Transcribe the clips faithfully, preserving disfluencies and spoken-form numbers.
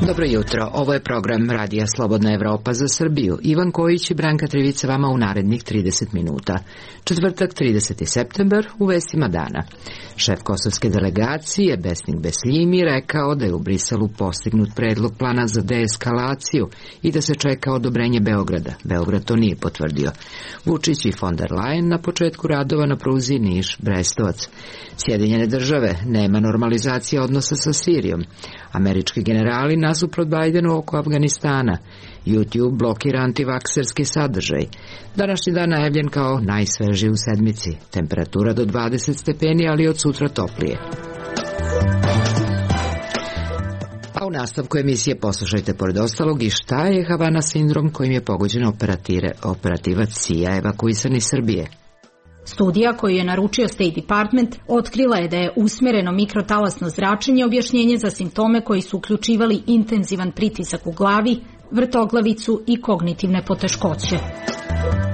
Dobro jutro, ovo je program Radija Slobodna Evropa za Srbiju. Ivan Kojić i Branka Trivica vama u narednih trideset minuta. Četvrtak, trideseti septembar, u vestima dana. Šef kosovske delegacije, Besnik Besljimi, rekao da je u Briselu postignut predlog plana za deeskalaciju i da se čeka odobrenje Beograda. Beograd to nije potvrdio. Vučić i von der Leyen na početku radova na pruzi Niš-Brestovac. Sjedinjene države, nema normalizacije odnosa sa Sirijom. Američki generali nasuprot Bajdenu oko Afganistana. YouTube blokira antivakserski sadržaj. Današnji dan najavljen kao najsvežiji u sedmici. Temperatura do dvadeset stepeni, ali od sutra toplije. A u nastavku emisije poslušajte pored ostalog i šta je Havana sindrom kojim je pogođen operativac C I A evakuisan iz Srbije. Studija koju je naručio State Department otkrila je da je usmjereno mikrotalasno zračenje objašnjenje za simptome koji su uključivali intenzivan pritisak u glavi, vrtoglavicu i kognitivne poteškoće.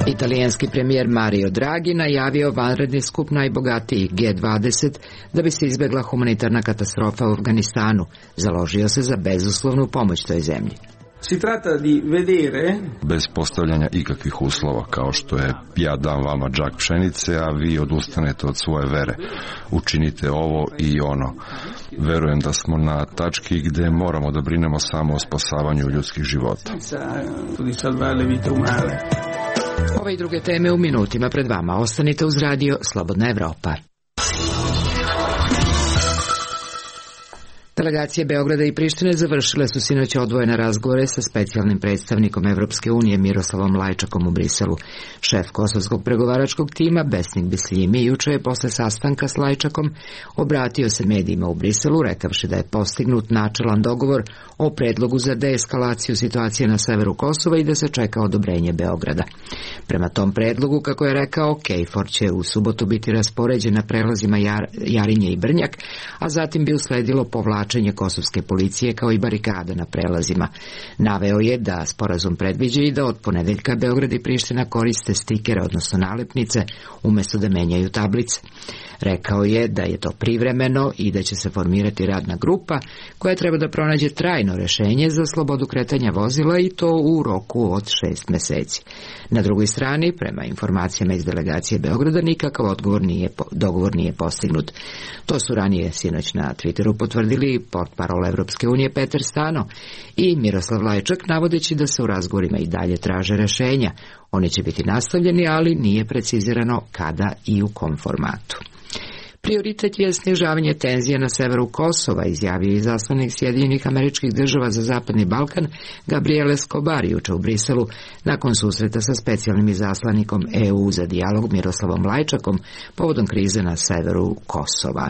Italijanski premijer Mario Draghi najavio vanredni skup najbogatijih G dvadeset da bi se izbjegla humanitarna katastrofa u Afganistanu. Založio se za bezuslovnu pomoć toj zemlji. Si tratta di vedere, bez postavljanja ikakvih uslova, kao što je ja dam vama džak pšenice, a vi odustanete od svoje vere. Učinite ovo i ono. Verujem da smo na tački gde moramo da brinemo samo o spasavanju ljudskih života. Ove i druge teme u minutima pred vama. Ostanite uz radio Slobodna Evropa. Delegacije Beograda i Prištine završile su sinoć odvojene razgovore sa specijalnim predstavnikom Evropske unije Miroslavom Lajčakom u Briselu. Šef kosovskog pregovaračkog tima Besnik Besljimi juče je posle sastanka s Lajčakom obratio se medijima u Briselu, rekavši da je postignut načelan dogovor o predlogu za deeskalaciju situacije na severu Kosova i da se čeka odobrenje Beograda. Prema tom predlogu, kako je rekao, KFOR će u subotu biti raspoređen na prelazima Jar, Jarinje i Brnjak, a zatim bi usledilo povlačenje kosovske policije kao i barikada na prelazima. Naveo je da sporazum predviđa i da od ponedeljka Beograd i Priština koriste stikere, odnosno nalepnice, umjesto da menjaju tablice. Rekao je da je to privremeno i da će se formirati radna grupa koja treba da pronađe trajno rešenje za slobodu kretanja vozila i to u roku od šest meseci. Na drugoj strani, prema informacijama iz delegacije Beograda, nikakav odgovor nije, dogovor nije postignut. To su ranije sinoć na Twitteru potvrdili portparol Evropske unije Peter Stano i Miroslav Lajčak, navodeći da se u razgovorima i dalje traže rešenja. Oni će biti nastavljeni, ali nije precizirano kada i u kom formatu. Prioritet je snižavanje tenzija na severu Kosova, izjavio izaslanik Sjedinjenih Američkih Država za Zapadni Balkan Gabriel Escobar juče u Briselu nakon susreta sa specijalnim izaslanikom E U za dijalog Miroslavom Lajčakom povodom krize na severu Kosova.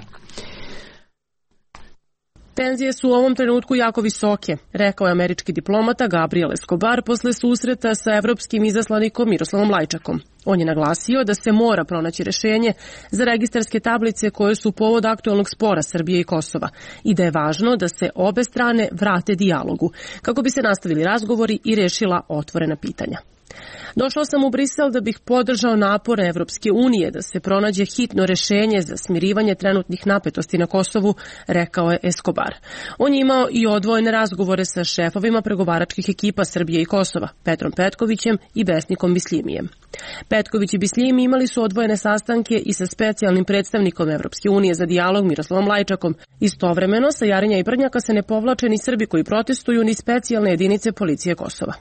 Tenzije su u ovom trenutku jako visoke, rekao je američki diplomata Gabriel Escobar posle susreta sa evropskim izaslanikom Miroslavom Lajčakom. On je naglasio da se mora pronaći rešenje za registarske tablice koje su povod aktualnog spora Srbije i Kosova i da je važno da se obe strane vrate dijalogu kako bi se nastavili razgovori i rešila otvorena pitanja. Došao sam u Brisel da bih podržao napore Evropske unije da se pronađe hitno rešenje za smirivanje trenutnih napetosti na Kosovu, rekao je Escobar. On je imao i odvojene razgovore sa šefovima pregovaračkih ekipa Srbije i Kosova, Petrom Petkovićem i Besnikom Besljimijem. Petković i Besljimi imali su odvojene sastanke i sa specijalnim predstavnikom Evropske unije za dijalog Miroslavom Lajčakom. Istovremeno, sa Jarinja i Brnjaka se ne povlače ni Srbi koji protestuju ni specijalne jedinice policije Kosova.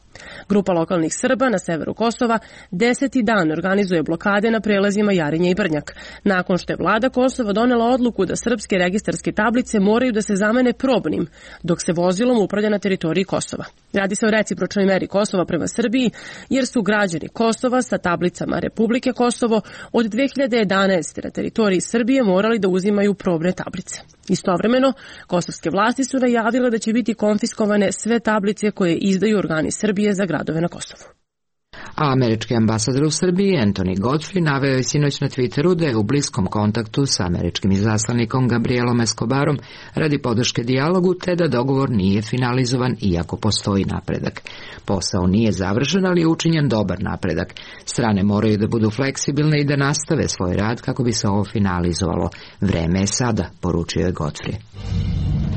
Grupa lokalnih Srba na severu Kosova deseti dan organizuje blokade na prelazima Jarinje i Brnjak, nakon što je vlada Kosova donela odluku da srpske registarske tablice moraju da se zamene probnim, dok se vozilom upravlja na teritoriji Kosova. Radi se o recipročnoj meri Kosova prema Srbiji, jer su građani Kosova sa tablicama Republike Kosovo od dve hiljade jedanaeste. na teritoriji Srbije morali da uzimaju probne tablice. Istovremeno, kosovske vlasti su najavile da će biti konfiskovane sve tablice koje izdaju organi Srbije za gradove na Kosovu. A američki ambasador u Srbiji Anthony Godfrey naveo je sinoć na Twitteru da je u bliskom kontaktu sa američkim izaslanikom Gabrielom Escobarom radi podrške dijalogu, te da dogovor nije finalizovan iako postoji napredak. Posao nije završen, ali je učinjen dobar napredak. Strane moraju da budu fleksibilne i da nastave svoj rad kako bi se ovo finalizovalo. Vreme je sada, poručio je Godfrey.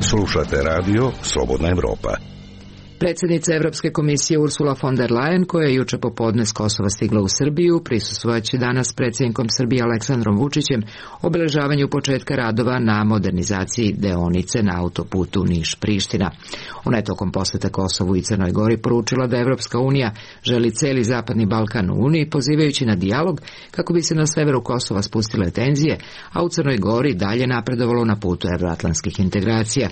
Slušate radio Slobodna Evropa. Predsjednica Evropske komisije Ursula von der Leyen, koja je juče popodne s Kosova stigla u Srbiju, prisustvovaće danas predsjednikom Srbije Aleksandrom Vučićem obeležavanju početka radova na modernizaciji deonice na autoputu Niš-Priština. Ona je tokom posjeta Kosovu i Crnoj Gori poručila da Evropska unija želi celi Zapadni Balkan u Uniji, pozivajući na dijalog kako bi se na severu Kosova spustile tenzije, a u Crnoj Gori dalje napredovalo na putu evroatlantskih integracija.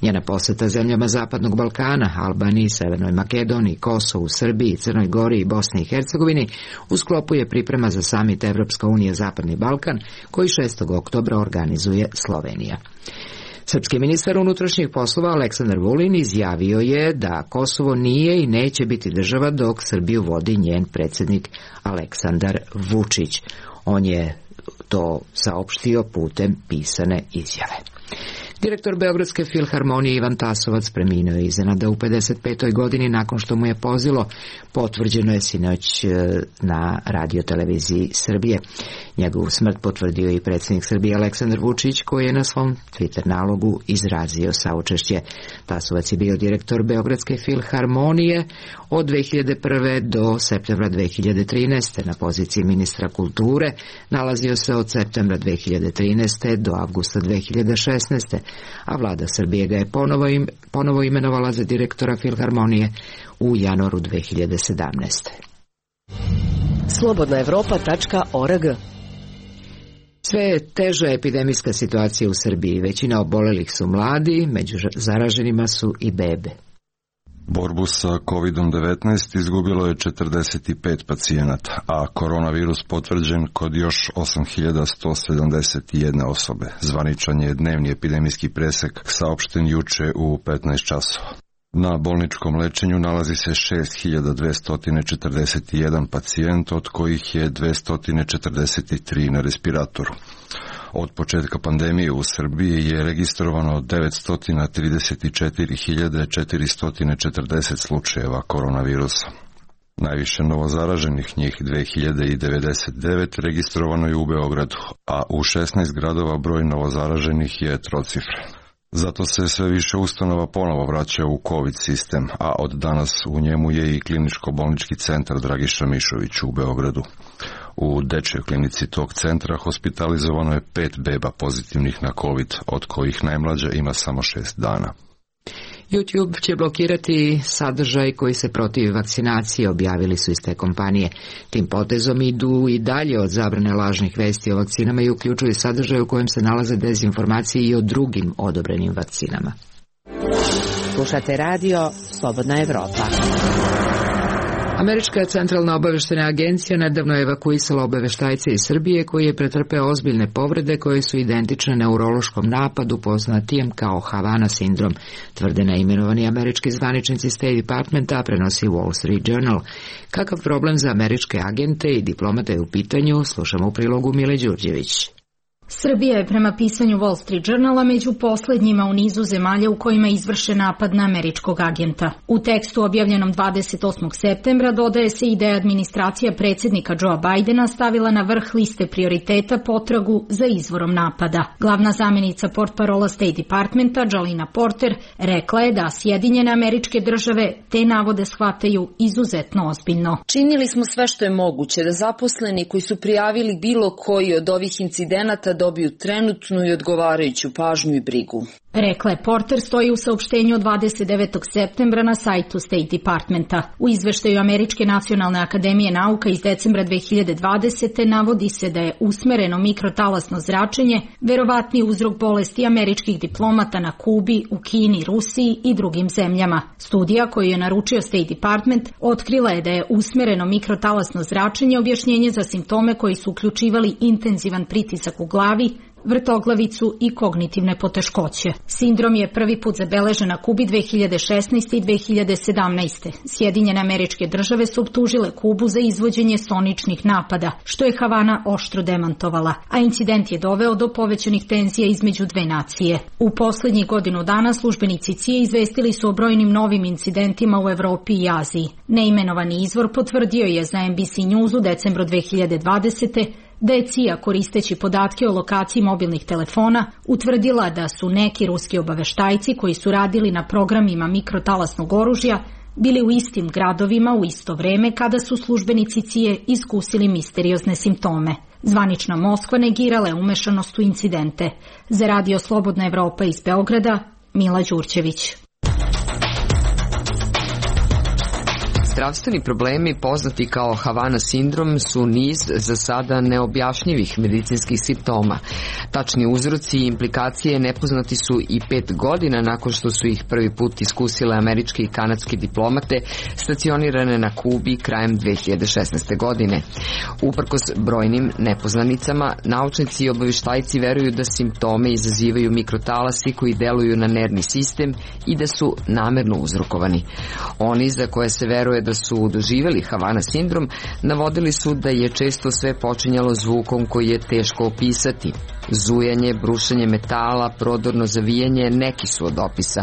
Njena posjeta zemljama Zapadnog Balkana, Albaniji, Severnoj Makedoniji, Kosovu, Srbiji, Crnoj Gori i Bosni i Hercegovini u sklopu je priprema za samit Evropska unija Zapadni Balkan, koji šestog oktobra organizuje Slovenija. Srpski ministar unutrašnjih poslova Aleksandar Vulin izjavio je da Kosovo nije i neće biti država dok Srbiju vodi njen predsjednik Aleksandar Vučić. On je to saopštio putem pisane izjave. Direktor Beogradske filharmonije Ivan Tasovac preminuo je iznenada u pedeset petoj godini nakon što mu je pozilo, potvrđeno je sinoć na radioteleviziji Srbije. Njegovu smrt potvrdio i predsjednik Srbije Aleksandar Vučić, koji je na svom Twitter nalogu izrazio saučešće. Tasovac je bio direktor Beogradske filharmonije od dve hiljade prve do septembra dve hiljade trinaeste. Na poziciji ministra kulture nalazio se od septembra dve hiljade trinaeste do avgusta dve hiljade šesnaeste. a vlada Srbije ga je ponovo, im, ponovo imenovala za direktora filharmonije u januaru dve hiljade sedamnaeste. slobodna evropa tačka org. Sve je teža epidemijska situacija u Srbiji. Većina obolelih su mladi, među zaraženima su i bebe. Borbu sa kovid devetnaest izgubilo je četrdeset pet pacijenata, a koronavirus potvrđen kod još osam hiljada sto sedamdeset jedne osobe. Zvaničan je dnevni epidemijski presek saopšten juče u petnaest časova. Na bolničkom lečenju nalazi se šest hiljada dvesta četrdeset jedan pacijent, od kojih je dvesta četrdeset tri na respiratoru. Od početka pandemije u Srbiji je registrovano devetsto trideset četiri hiljade četiristo četrdeset slučajeva koronavirusa. Najviše novozaraženih, njih dve hiljade devedeset devet, registrovano je u Beogradu, a u šesnaest gradova broj novozaraženih je trocifren. Zato se sve više ustanova ponovo vraća u COVID sistem, a od danas u njemu je i kliničko-bolnički centar Dragiša Mišović u Beogradu. U dečjoj klinici tog centra hospitalizovano je pet beba pozitivnih na COVID, od kojih najmlađa ima samo šest dana. YouTube će blokirati sadržaj koji se protivi vakcinaciji, objavili su iz te kompanije. Tim potezom idu i dalje od zabrane lažnih vesti o vakcinama i uključuju sadržaj u kojem se nalaze dezinformacije i o drugim odobrenim vakcinama. Slušate radio Slobodna Evropa. Američka centralna obaveštena agencija nedavno je evakuisala obaveštajce iz Srbije koji je pretrpeo ozbiljne povrede koje su identične neurološkom napadu poznatijem kao Havana sindrom, tvrde neimenovani američki zvaničnici State Departmenta, prenosi Wall Street Journal. Kakav problem za američke agente i diplomate je u pitanju, slušamo u prilogu Mile Đurđević. Srbija je prema pisanju Wall Street Journala među poslednjima u nizu zemalja u kojima je izvršen napad na američkog agenta. U tekstu objavljenom dvadeset osmog septembra dodaje se i da je administracija predsjednika Joea Bidena stavila na vrh liste prioriteta potragu za izvorom napada. Glavna zamjenica portparola State Departmenta, Jalina Porter, rekla je da Sjedinjene Američke Države te navode shvataju izuzetno ozbiljno. Činili smo sve što je moguće da zaposleni koji su prijavili bilo koji od ovih incidenata dobiju trenutnu i odgovarajuću pažnju i brigu. Rekla je Porter, stoji u saopštenju od dvadeset devetog septembra na sajtu State Departmenta. U izveštaju Američke nacionalne akademije nauka iz decembra dve hiljade dvadesete. navodi se da je usmereno mikrotalasno zračenje verovatni uzrok bolesti američkih diplomata na Kubi, u Kini, Rusiji i drugim zemljama. Studija koju je naručio State Department otkrila je da je usmereno mikrotalasno zračenje objašnjenje za simptome koji su uključivali intenzivan pritisak u glavi, vrtoglavicu i kognitivne poteškoće. Sindrom je prvi put zabeležen na Kubi dve hiljade šesnaeste. i dve hiljade sedamnaeste. Sjedinjene Američke Države su optužile Kubu za izvođenje soničnih napada, što je Havana oštro demantovala, a incident je doveo do povećanih tenzija između dve nacije. U poslednjih godinu dana službenici C I A izvestili su o brojnim novim incidentima u Evropi i Aziji. Neimenovani izvor potvrdio je za N B C News u decembru dve hiljade dvadesete. da je C I A koristeći podatke o lokaciji mobilnih telefona utvrdila da su neki ruski obaveštajci koji su radili na programima mikrotalasnog oružja bili u istim gradovima u isto vreme kada su službenici C I A iskusili misteriozne simptome. Zvanična Moskva negirala je umešanost u incidente. Za Radio Slobodna Evropa iz Beograda, Mila Đurćević. Zdravstveni problemi poznati kao Havana sindrom su niz za sada neobjašnjivih medicinskih simptoma. Tačni uzroci i implikacije nepoznati su i pet godina nakon što su ih prvi put iskusile američke i kanadske diplomate stacionirane na Kubi krajem dve hiljade šesnaeste. godine. Uprkos brojnim nepoznanicama, naučnici i obavještajci veruju da simptome izazivaju mikrotalasi koji deluju na nervni sistem i da su namerno uzrokovani. Oni za koje se veruje da su doživjeli Havana sindrom, navodili su da je često sve počinjalo zvukom koji je teško opisati. Zujanje, brušenje metala, prodorno zavijanje neki su od opisa.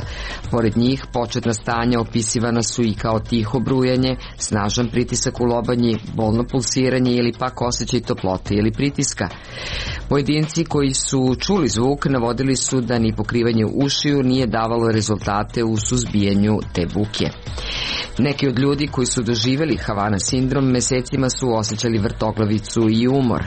Pored njih, početna stanja opisivana su i kao tiho brujanje, snažan pritisak u lobanji, bolno pulsiranje ili pak osjećaj toplote ili pritiska. Pojedinci koji su čuli zvuk navodili su da ni pokrivanje ušiju nije davalo rezultate u suzbijanju te buke. Neki od ljudi koji su doživjeli Havana sindrom mesecima su osjećali vrtoglavicu i umor.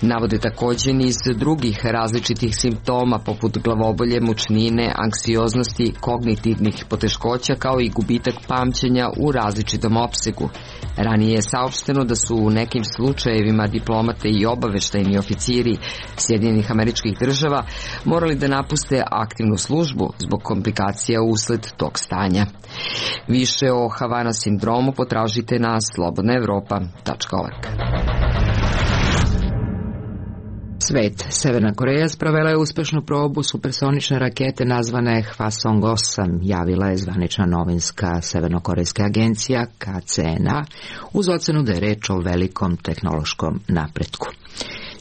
Navode također niz drugih različitih simptoma poput glavobolje, mučnine, anksioznosti, kognitivnih poteškoća kao i gubitak pamćenja u različitom opsegu. Ranije je saopšteno da su u nekim slučajevima diplomate i obaveštajni oficiri Sjedinjenih Američkih Država morali da napuste aktivnu službu zbog komplikacija usled tog stanja. Više o Havana sindromu potražite na slobodna evropa tačka org. Svet. Severna Koreja sprovela je uspešnu probu supersonične rakete nazvane Hwasong osam, javila je zvanična novinska severnokorejska agencija K C N A uz ocenu da je reč o velikom tehnološkom napretku.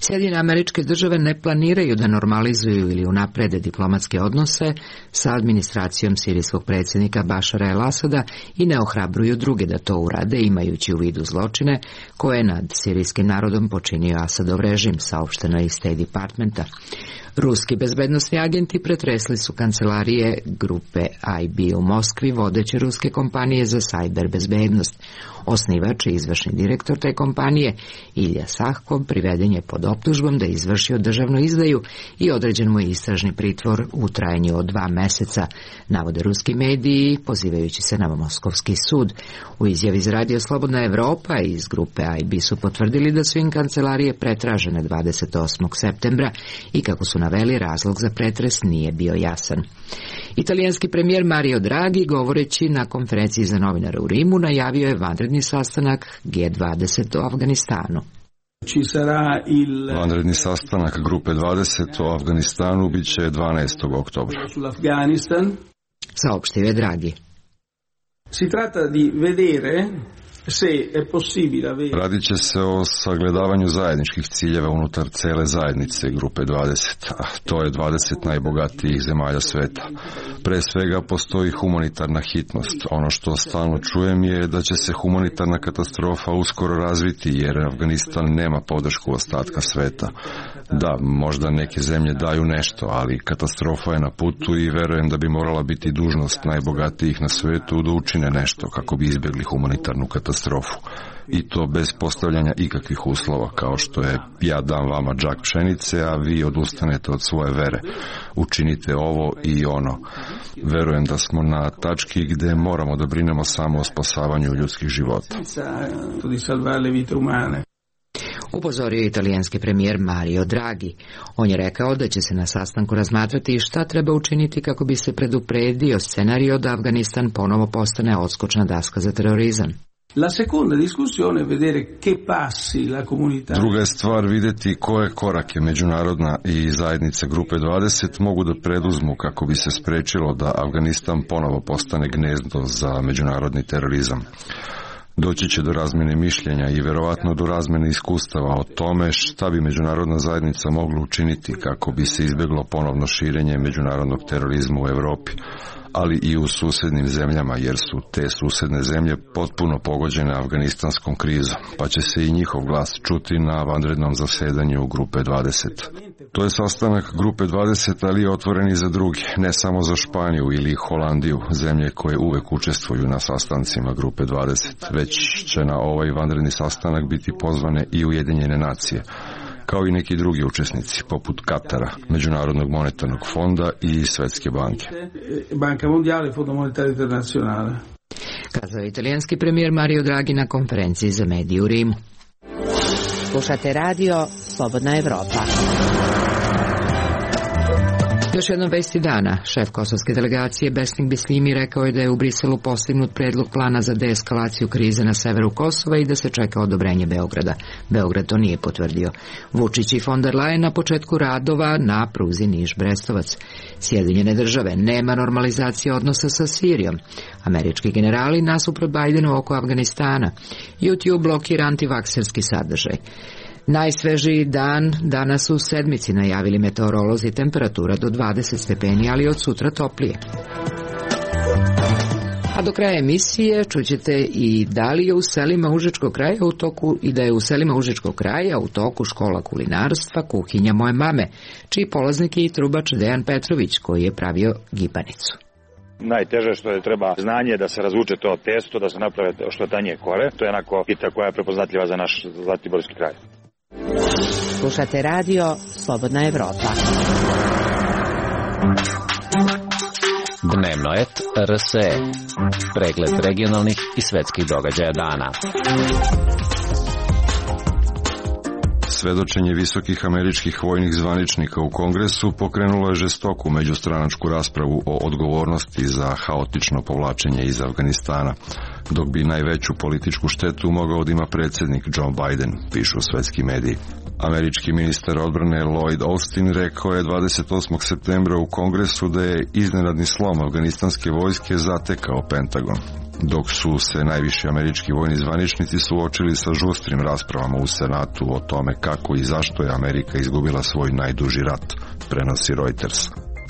Sjedinjene Američke Države ne planiraju da normalizuju ili unaprede diplomatske odnose sa administracijom sirijskog predsjednika Bašara el-Asada i ne ohrabruju druge da to urade, imajući u vidu zločine koje je nad sirijskim narodom počinio Asadov režim, saopšteno iz State Departmenta. Ruski bezbednosni agenti pretresli su kancelarije grupe I B u Moskvi, vodeće ruske kompanije za sajber bezbednost. Osnivač i izvršni direktor te kompanije, Ilja Sahkov, priveden je pod optužbom da je izvršio državnu izdaju i određen mu je istražni pritvor u trajanju od dva meseca, navode ruski mediji, pozivajući se na Moskovski sud. U izjavi za Radio Slobodna Evropa iz grupe I B su potvrdili da su im kancelarije pretražene dvadeset osmog septembra i kako su naveli, razlog za pretres nije bio jasan. Italijanski premijer Mario Draghi, govoreći na konferenciji za novinare u Rimu, najavio je vanredni sastanak G dvadeset o Afganistanu. Vanredni sastanak grupe dvadeset o Afganistanu biće dvanaestog oktobra. Saopštio je Draghi. Si tratta di vedere se è possibile avere... Radit će se o sagledavanju zajedničkih ciljeva unutar cele zajednice grupe dvadeset, a to je dvadeset najbogatijih zemalja sveta. Pre svega postoji humanitarna hitnost. Ono što stalno čujem je da će se humanitarna katastrofa uskoro razviti jer Afganistan nema podršku ostatka sveta. Da, možda neke zemlje daju nešto, ali katastrofa je na putu i verujem da bi morala biti dužnost najbogatijih na svetu da učine nešto kako bi izbjegli humanitarnu katastrofu. I to bez postavljanja ikakvih uslova, kao što je ja dam vama džak pšenice, a vi odustanete od svoje vere. Učinite ovo i ono. Verujem da smo na tački gde moramo da brinemo samo o spasavanju ljudskih života. Upozorio je italijanski premijer Mario Draghi. On je rekao da će se na sastanku razmatrati šta treba učiniti kako bi se predupredio scenario da Afganistan ponovo postane odskočna daska za terorizam. La seconda discussione è vedere che passi la comunità. Druga je stvar vidjeti koje korake međunarodna i zajednice grupe dvadeset mogu da preduzmu kako bi se sprečilo da Afganistan ponovo postane gnezdo za međunarodni terorizam. Doći će do razmjene mišljenja i vjerovatno do razmjene iskustava o tome šta bi međunarodna zajednica mogla učiniti kako bi se izbjeglo ponovno širenje međunarodnog terorizma u Europi. ali i u susednim zemljama, jer su te susedne zemlje potpuno pogođene afganistanskom krizom, pa će se i njihov glas čuti na vanrednom zasedanju Grupe dvadeset. To je sastanak Grupe dvadeset, ali je otvoren i za druge, ne samo za Španiju ili Holandiju, zemlje koje uvek učestvuju na sastancima Grupe dvadeset, već će na ovaj vanredni sastanak biti pozvane i Ujedinjene nacije, kao i neki drugi učesnici, poput Katara, Međunarodnog monetarnog fonda i Svetske banke. Banka Mondiale, Fondo Monetario Internazionale. Kazao italijanski premijer Mario Draghi na konferenciji za medije u Rimu. Slušate radio Slobodna Evropa. Još jednom vesti dana. Šef kosovske delegacije Besnik Bislimi rekao je da je u Briselu postignut predlog plana za deeskalaciju krize na severu Kosova i da se čeka odobrenje Beograda. Beograd to nije potvrdio. Vučić i von der Leyen na početku radova na pruzi Niš-Brestovac. Sjedinjene države, nema normalizacije odnosa sa Sirijom. Američki generali nasuprot Bajdenu oko Afganistana. YouTube blokira antivakserski sadržaj. Najsvežiji dan danas u sedmici, najavili meteorolozi, temperatura do dvadeset stepeni, ali od sutra toplije. A do kraja emisije čućete i da li je u selima Užičkog kraja u toku i da je u selima Užičkog kraja u toku škola kulinarstva Kuhinja moje mame, čiji polaznik je i trubač Dejan Petrović, koji je pravio gibanicu. Najteže što je treba znanje da se razvuče to testo, da se naprave što tanje kore. To je onako pita koja je prepoznatljiva za naš Zlatiborski kraj. Slušate radio Slobodna Evropa. Dnevno et R S E. Pregled regionalnih i svetskih događaja dana. Svedočenje visokih američkih vojnih zvaničnika u Kongresu pokrenulo je žestoku međustranačku raspravu o odgovornosti za haotično povlačenje iz Afganistana, dok bi najveću političku štetu mogao da ima predsjednik Joe Biden, pišu svetski mediji. Američki ministar odbrane Lloyd Austin rekao je dvadeset osmog septembra u Kongresu da je iznenadni slom afganistanske vojske zatekao Pentagon, dok su se najviši američki vojni zvaničnici suočili sa žustrim raspravama u Senatu o tome kako i zašto je Amerika izgubila svoj najduži rat, prenosi Reuters.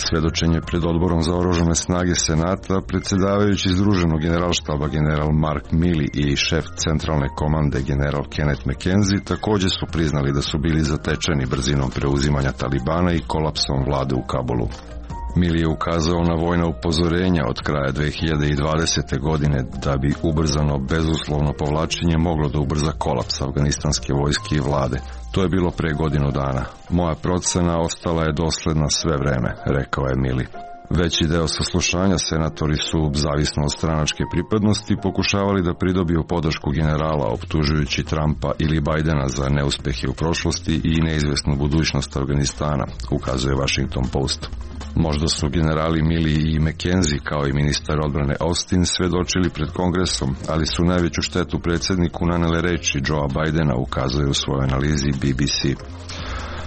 Svedočenje pred odborom za oružane snage Senata, predsjedavajući Združenog generalštaba general Mark Milley i šef centralne komande general Kenneth McKenzie također su priznali da su bili zatečeni brzinom preuzimanja Talibana i kolapsom vlade u Kabulu. Milley je ukazao na vojna upozorenja od kraja dve hiljade dvadesete. godine da bi ubrzano bezuslovno povlačenje moglo da ubrza kolaps afganistanske vojske i vlade. To je bilo pre godinu dana. Moja procena ostala je dosledna sve vreme, rekao je Milley. Veći deo saslušanja senatori su, zavisno od stranačke pripadnosti, pokušavali da pridobiju podršku generala, optužujući Trumpa ili Bajdena za neuspehe u prošlosti i neizvesnu budućnost Afganistana, ukazuje Washington Post. Možda su generali Milley i McKenzie, kao i ministar odbrane Austin, svedočili pred Kongresom, ali su najveću štetu predsjedniku nanele reči Joea Bajdena, ukazuje u svojoj analizi B B C.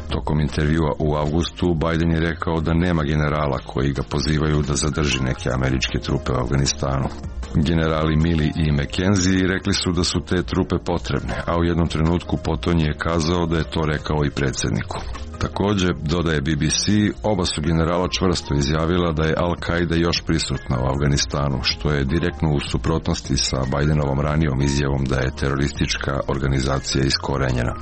Tokom intervjua u avgustu, Biden je rekao da nema generala koji ga pozivaju da zadrži neke američke trupe u Afganistanu. Generali Milley i McKenzie rekli su da su te trupe potrebne, a u jednom trenutku potonji je kazao da je to rekao i predsjedniku. Također, dodaje B B C, oba su generala čvrsto izjavila da je Al-Qaida još prisutna u Afganistanu, što je direktno u suprotnosti sa Bidenovom ranijom izjavom da je teroristička organizacija iskorenjena.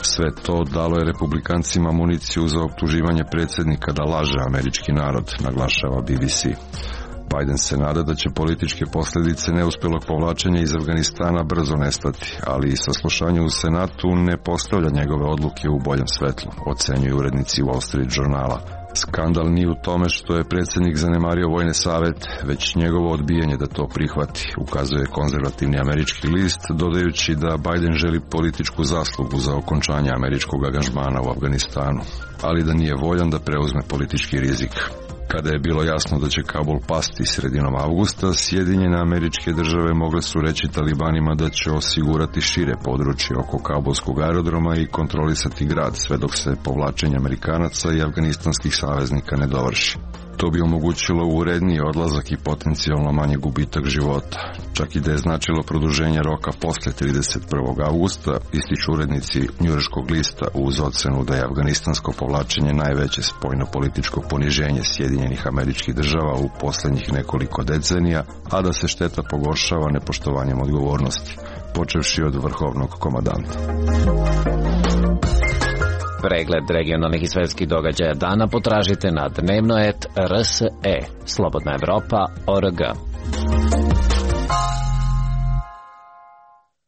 Sve to dalo je republikancima municiju za optuživanje predsjednika da laže američki narod, naglašava B B C. Biden se nada da će političke posljedice neuspjelog povlačenja iz Afganistana brzo nestati, ali i saslušanje u Senatu ne postavlja njegove odluke u boljem svetlu, ocenjuju urednici Wall Street žurnala. Skandal nije u tome što je predsjednik zanemario vojne savete, već njegovo odbijanje da to prihvati, ukazuje konzervativni američki list, dodajući da Biden želi političku zaslugu za okončanje američkog angažmana u Afganistanu, ali da nije voljan da preuzme politički rizik. Kada je bilo jasno da će Kabul pasti sredinom avgusta, Sjedinjene Američke Države mogle su reći Talibanima da će osigurati šire područje oko kabulskog aerodroma i kontrolisati grad sve dok se povlačenje Amerikanaca i afganistanskih saveznika ne dovrši. To bi omogućilo uredniji odlazak i potencijalno manje gubitak života. Čak i da je značilo produženje roka posle trideset prvog avgusta, ističu urednici njujorškog lista uz ocenu da je afganistansko povlačenje najveće spoljno-političko poniženje Sjedinjenih Američkih Država u poslednjih nekoliko decenija, a da se šteta pogoršava nepoštovanjem odgovornosti, počevši od vrhovnog komandanta. Pregled regionalnih i svetskih događaja dana potražite na dnevno et r s e, slobodna evropa tačka org.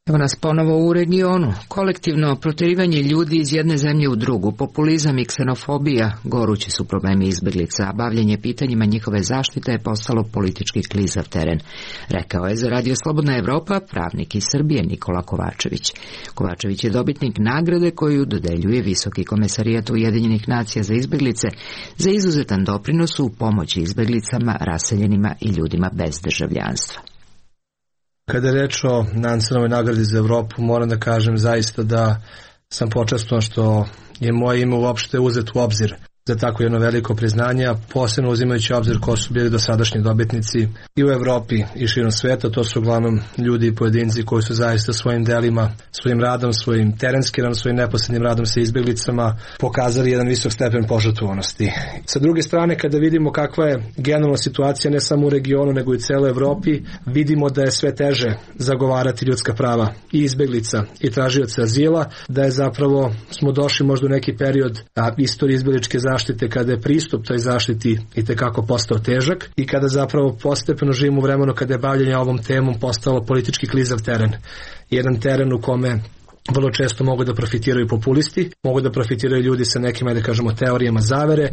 Evo nas ponovo u regionu. Kolektivno proterivanje ljudi iz jedne zemlje u drugu, populizam i ksenofobija, gorući su problemi izbeglica, a bavljenje pitanjima njihove zaštite je postalo politički klizav teren, rekao je za Radio Slobodna Evropa pravnik iz Srbije Nikola Kovačević. Kovačević je dobitnik nagrade koju dodeljuje Visoki komesarijat Ujedinjenih nacija za izbeglice za izuzetan doprinos u pomoći izbeglicama, raseljenima i ljudima bez državljanstva. Kada je reč o Nansenovoj nagradi za Evropu, moram da kažem zaista da sam počašćen što je moje ime uopšte uzet u obzir za tako jedno veliko priznanje, posebno uzimajući obzir ko su bili dosadašnji dobitnici i u Evropi i širom sveta. To su uglavnom ljudi i pojedinci koji su zaista svojim delima, svojim radom, svojim terenskim radom, svojim neposrednim radom sa izbeglicama pokazali jedan visok stepen požrtvovanosti. Sa druge strane, kada vidimo kakva je generalna situacija ne samo u regionu nego i u celoj Evropi, vidimo da je sve teže zagovarati ljudska prava i izbeglica i tražioca azila, da je zapravo smo došli možda u neki period a, istorije izbegličke zaštite zaštite kada je pristup toj zaštiti i tekako postao težak i kada zapravo postepeno živimo u vremenu kada je bavljenje ovom temom postalo politički klizav teren. Jedan teren u kome vrlo često mogu da profitiraju populisti, mogu da profitiraju ljudi sa nekim, da kažemo, teorijama zavere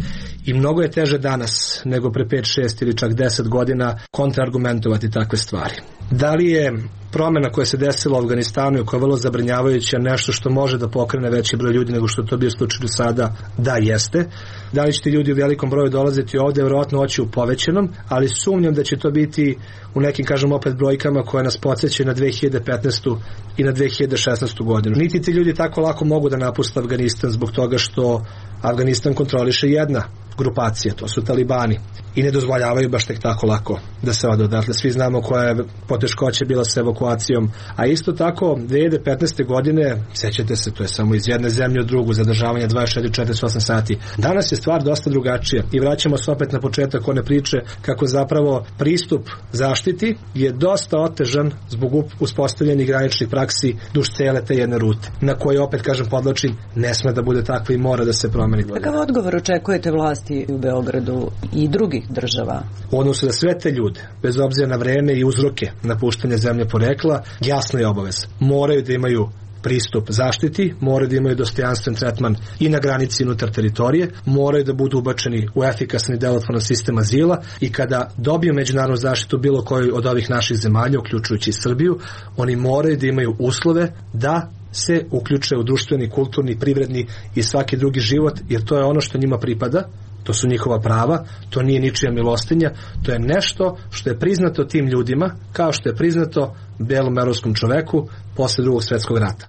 i mnogo je teže danas nego pre pet, šest ili čak deset godina kontraargumentovati takve stvari. Da li je promjena koja se desila u Afganistanu i koja je vrlo zabrinjavajuća nešto što može da pokrene veći broj ljudi nego što to bio slučaj do sada? Da, jeste. Da li će ti ljudi u velikom broju dolaziti ovde? Vjerojatno oći u povećanom, ali sumnjam da će to biti u nekim, kažem opet, brojkama koje nas podsjećaju na dve hiljade petnaestu i na dve hiljade šesnaestu godinu. Niti ti ljudi tako lako mogu da napuste Afganistan zbog toga što Afganistan kontroliše jedna grupacija, to su talibani. I ne dozvoljavaju baš tek tako lako da se ode odatle. Svi znamo koja je poteškoća bila sa evakuacijom. A isto tako, dve hiljade petnaeste godine, sjećate se, to je samo iz jedne zemlje u drugu, zadržavanje dvadeset četiri do četrdeset osam sati. Danas je stvar dosta drugačija i vraćamo se opet na početak one priče kako zapravo pristup zaštiti je dosta otežan zbog uspostavljenih graničnih praksi duž cele te jedne rute, na koje opet, kažem, podlačim, ne sme da bude takva i mora da se promeni. Kakav odgovor očekujete vlasti u Beogradu i drugih država? U odnosu na sve te ljude, bez obzira na vreme i uzroke napuštanja zemlje porekla, jasno je obavez. Moraju da imaju pristup zaštiti, moraju da imaju dostojanstven tretman i na granici unutar teritorije, moraju da budu ubačeni u efikasan i delotvoran sistem azila i kada dobiju međunarodnu zaštitu bilo koju od ovih naših zemalja, uključujući Srbiju, oni moraju da imaju uslove da se uključe u društveni, kulturni, privredni i svaki drugi život, jer to je ono što njima pripada. To su njihova prava, to nije ničija milostinja, to je nešto što je priznato tim ljudima, kao što je priznato belom evropskom čoveku posle drugog svjetskog rata.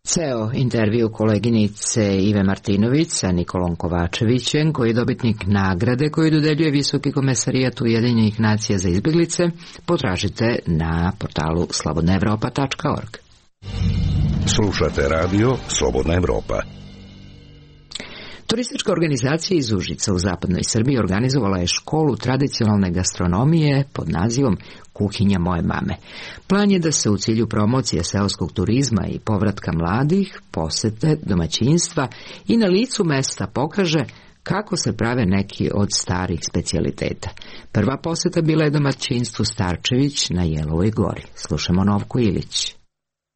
Ceo intervju koleginice Ive Martinović sa Nikolom Kovačevićem, koji je dobitnik nagrade koju dodeljuje Visoki komesarijat Ujedinjenih nacija za izbjeglice, potražite na portalu slobodna evropa tačka org. Slušate radio Slobodna Evropa. Turistička organizacija iz Užica u zapadnoj Srbiji organizovala je školu tradicionalne gastronomije pod nazivom Kuhinja moje mame. Plan je da se u cilju promocije seoskog turizma i povratka mladih posete domaćinstva i na licu mesta pokaže kako se prave neki od starih specijaliteta. Prva poseta bila je domaćinstvu Starčević na Jelovoj gori. Slušamo Novku Ilić.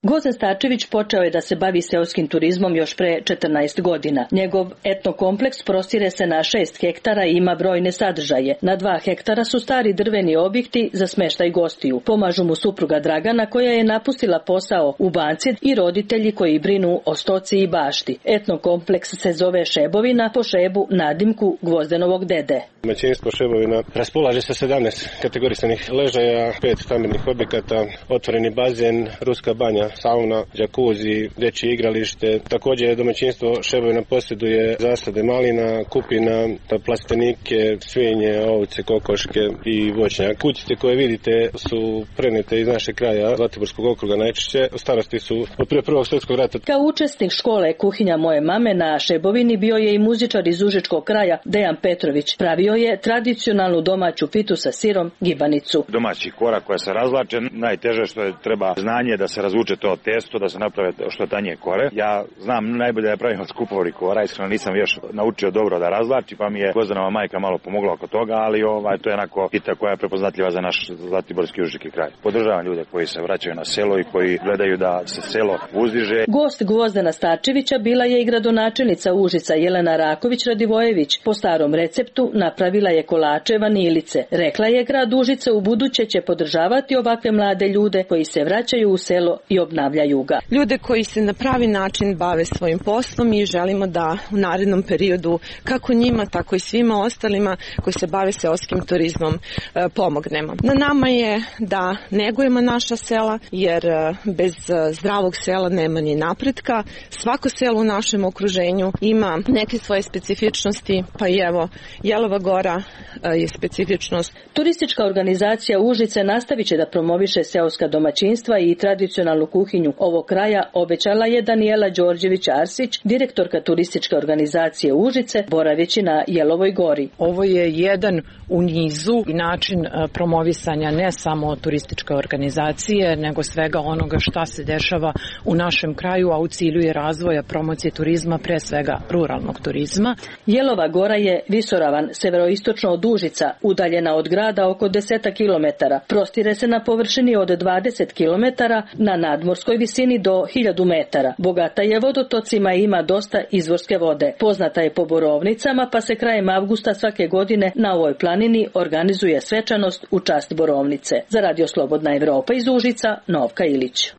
Goza Starčević počeo je da se bavi seoskim turizmom još pre četrnaest godina. Njegov etnokompleks prostire se na šest hektara i ima brojne sadržaje. Na dva hektara su stari drveni objekti za smeštaj gostiju. Pomažu mu supruga Dragana koja je napustila posao u banci i roditelji koji brinu o stoci i bašti. Etnokompleks se zove Šebovina po Šebu nadimku Gvozdenovog dede. Domaćinstvo Šebovina raspolaže sa sedamnaest kategorisanih ležaja, pet stambenih objekata, otvoreni bazen, ruska banja sauna, džakuzi, dečje igralište. Također domaćinstvo Šebovina posjeduje zasade malina, kupina, plastenike, svinje, ovce, kokoške i voćnjak. Kućice koje vidite su prenete iz našeg kraja, Zlatiborskog okruga najčešće. Starosti su od prije Prvog svjetskog rata. Kao učesnik škole Kuhinja moje mame na Šebovini bio je i muzičar iz Užičkog kraja Dejan Petrović. Pravio je tradicionalnu domaću pitu sa sirom, gibanicu. Domaći korak koja se razlače, najteže što je treba znanje da se razvuče to testo, da se naprave što tanje kore. Ja znam najbolje da pravim od skupovori kora, iskreno nisam još naučio dobro da razlači, pa mi je Gvozdanova majka malo pomogla oko toga, ali ovaj, to je onako pita koja je prepoznatljiva za naš Zlatiborski Užički kraj. Podržavam ljude koji se vraćaju na selo i koji gledaju da se selo uzdiže. Gost Gvozdana Starčevića bila je i gradonačelnica Užica Jelena Raković-Radivojević. Po starom receptu napravila je kolače vanilice. Rekla je grad Užice u buduće će podržavati ovakve mlade ljude koji se vraćaju u selo i obnavljaju ga. Ljude koji se na pravi način bave svojim poslom i želimo da u narednom periodu kako njima tako i svima ostalima koji se bave seoskim turizmom pomognemo. Na nama je da negujemo naša sela jer bez zdravog sela nema ni napretka. Svako selo u našem okruženju ima neke svoje specifičnosti, pa i evo Jelova Gora je specifičnost. Turistička organizacija Užice nastavit će da promoviše seoska domaćinstva i tradicionalnu kuhinju ovog kraja, obećala je Danijela Đorđević-Arsić, direktorka turističke organizacije Užice, boraveći na Jelovoj Gori. Ovo je jedan u nizu i način promovisanja ne samo turističke organizacije, nego svega onoga šta se dešava u našem kraju, a u cilju je razvoja promocije turizma, pre svega ruralnog turizma. Jelova Gora je visoravan severoistočno od Užica, udaljena od grada oko deset kilometara. Prostire se na površini od dvadeset kilometara, na nadmorskoj visini do hiljadu metara. Bogata je vodotocima i ima dosta izvorske vode. Poznata je po borovnicama, pa se krajem avgusta svake godine na ovoj planini organizuje svečanost u čast borovnice. Za Radio Slobodna Evropa iz Užica, Novka Ilić.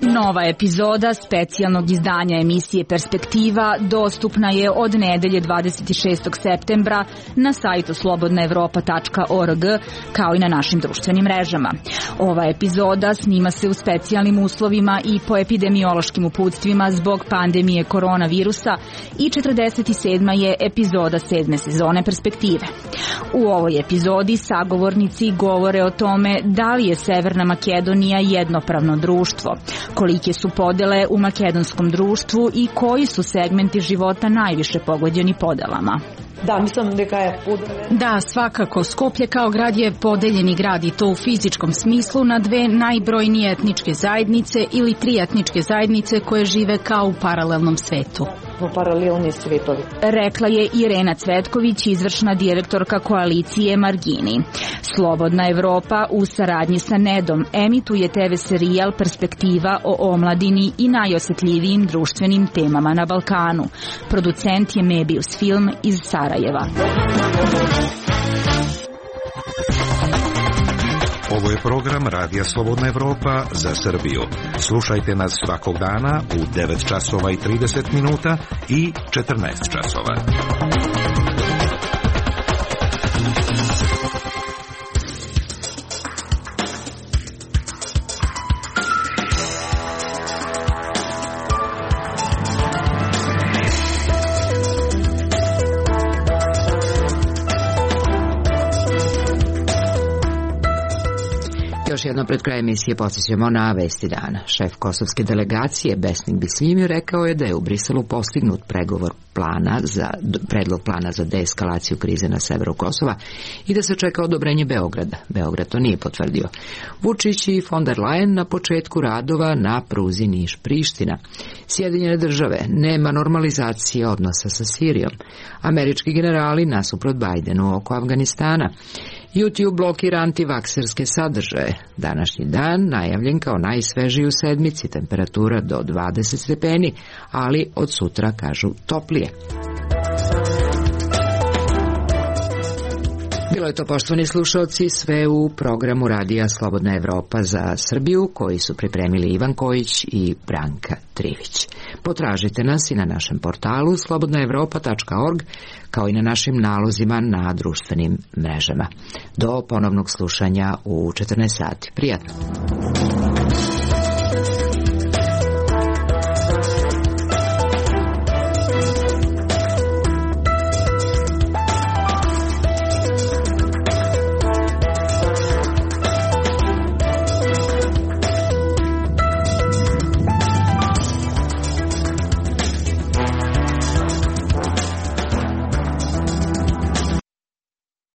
Nova epizoda specijalnog izdanja emisije Perspektiva dostupna je od nedelje dvadeset šestog septembra na sajtu slobodna evropa tačka org kao i na našim društvenim mrežama. Ova epizoda snima se u specijalnim uslovima i po epidemiološkim uputstvima zbog pandemije koronavirusa i četrdeset sedma je epizoda sedme sezone Perspektive. U ovoj epizodi sagovornici govore o tome da li je Severna Makedonija jednopravno društvo, kolike su podele u makedonskom društvu i koji su segmenti života najviše pogođeni podelama. Da, mislim da je podele. Da, svakako. Skoplje kao grad je podeljeni grad i to u fizičkom smislu na dve najbrojnije etničke zajednice ili tri etničke zajednice koje žive kao u paralelnom svetu. Paralelni svetovi. Rekla je Irena Cvetković, izvršna direktorka koalicije Margini. Slobodna Evropa u saradnji sa Nedom emituje te ve serijal Perspektiva o omladini i najosetljivijim društvenim temama na Balkanu. Producent je Mebius Film iz Sarajeva. Ovo je program Radija Slobodna Evropa za Srbiju. Slušajte nas svakog dana u devet časova i trideset minuta i četrnaest časova. Još jedno pred kraj emisije podsjećamo na vesti dana. Šef kosovske delegacije Besnik Bisljimi rekao je da je u Briselu postignut pregovor plana za, predlog plana za deeskalaciju krize na severu Kosova i da se čeka odobrenje Beograda. Beograd to nije potvrdio. Vučić i von der Leyen na početku radova na pruzi Niš-Priština. Sjedinjene države, nema normalizacije odnosa sa Sirijom. Američki generali nasuprot Bajdenu oko Afganistana. YouTube blokira antivakserske sadržaje. Današnji dan najavljen kao najsvežiji u sedmici, temperatura do dvadeset stepeni, ali od sutra kažu toplije. Bilo je to, poštovani slušalci, sve u programu Radija Slobodna Evropa za Srbiju, koji su pripremili Ivan Kojić i Branka Trivić. Potražite nas i na našem portalu slobodna evropa tačka org, kao i na našim nalozima na društvenim mrežama. Do ponovnog slušanja u četrnaest sati. Prijatno!